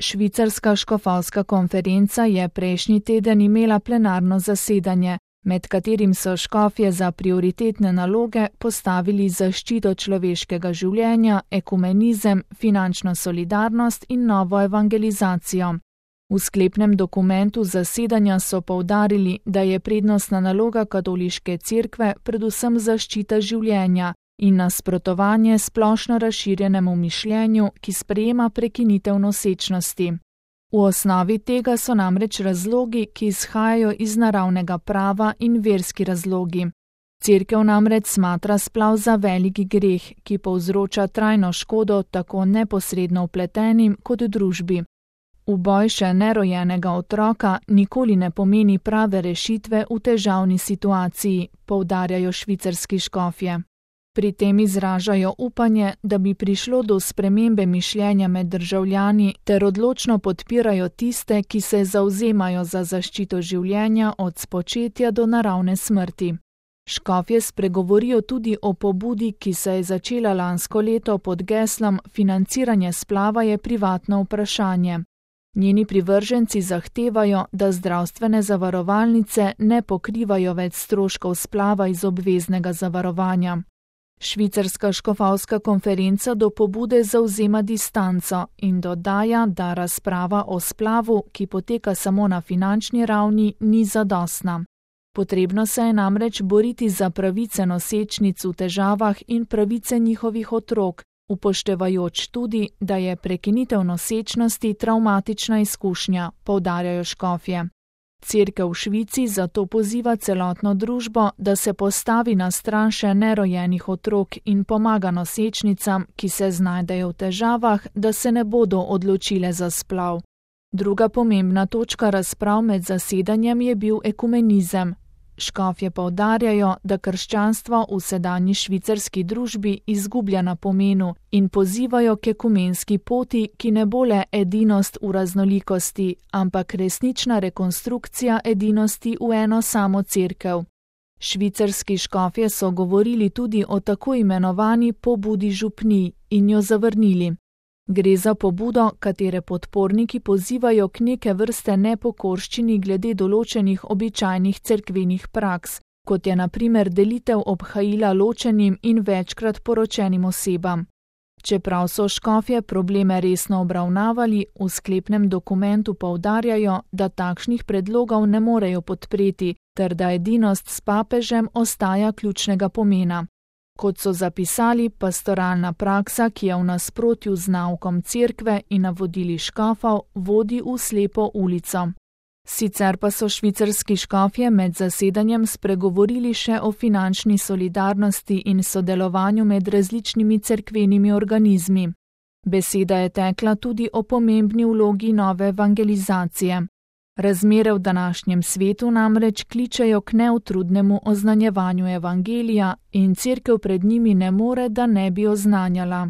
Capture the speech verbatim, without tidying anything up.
Švicarska škofovska konferenca je prejšnji teden imela plenarno zasedanje, med katerim so škofje za prioritetne naloge postavili zaščito človeškega življenja, ekumenizem, finančno solidarnost in novo evangelizacijo. V sklepnem dokumentu zasedanja so poudarili, da je prednostna naloga katoliške cerkve predvsem zaščita življenja in nasprotovanje splošno razširjenemu mišljenju, ki sprejema prekinitev nosečnosti. V osnovi tega so namreč razlogi, ki izhajajo iz naravnega prava in verski razlogi. Cerkev namreč smatra splav za veliki greh, ki povzroča trajno škodo tako neposredno vpletenim kot družbi. Uboj še nerojenega otroka nikoli ne pomeni prave rešitve v težavni situaciji, poudarjajo švicarski škofje. Pri tem izražajo upanje, da bi prišlo do spremembe mišljenja med državljani ter odločno podpirajo tiste, ki se zavzemajo za zaščito življenja od spočetja do naravne smrti. Škofje spregovorijo tudi o pobudi, ki se je začela lansko leto pod geslom Financiranje splava je privatno vprašanje. Njeni privrženci zahtevajo, da zdravstvene zavarovalnice ne pokrivajo več stroškov splava iz obveznega zavarovanja. Švicarska škofovska konferenca do pobude zavzema distanco in dodaja, da razprava o splavu, ki poteka samo na finančni ravni, ni zadostna. Potrebno se je namreč boriti za pravice nosečnic v težavah in pravice njihovih otrok, upoštevajoč tudi, da je prekinitev nosečnosti travmatična izkušnja, poudarjajo škofje. Cerkev v Švici zato poziva celotno družbo, da se postavi na stran še nerojenih otrok in pomaga nosečnicam, ki se znajdejo v težavah, da se ne bodo odločile za splav. Druga pomembna točka razprav med zasedanjem je bil ekumenizem. Škofje poudarjajo, da krščanstvo v sedanji švicarski družbi izgublja na pomenu in pozivajo k ekumenski poti, ki ne bo le edinost v raznolikosti, ampak resnična rekonstrukcija edinosti v eno samo cerkev. Švicarski škofje so govorili tudi o tako imenovani pobudi župnij in jo zavrnili. Gre za pobudo, katere podporniki pozivajo k neke vrste nepokorščini glede določenih običajnih cerkvenih praks, kot je na primer delitev obhajila ločenim in večkrat poročenim osebam. Čeprav so škofje probleme resno obravnavali, v sklepnem dokumentu poudarjajo, da takšnih predlogov ne morejo podpreti, ter da edinost s papežem ostaja ključnega pomena. Kot so zapisali, pastoralna praksa, ki je v nasprotju z naukom cerkve in navodili škofov, vodi v slepo ulico. Sicer pa so švicarski škofje med zasedanjem spregovorili še o finančni solidarnosti in sodelovanju med različnimi cerkvenimi organizmi. Beseda je tekla tudi o pomembni vlogi nove evangelizacije. Razmere v današnjem svetu namreč kličejo k neutrudnemu oznanjevanju evangelija in cerkev pred njimi ne more, da ne bi oznanjala.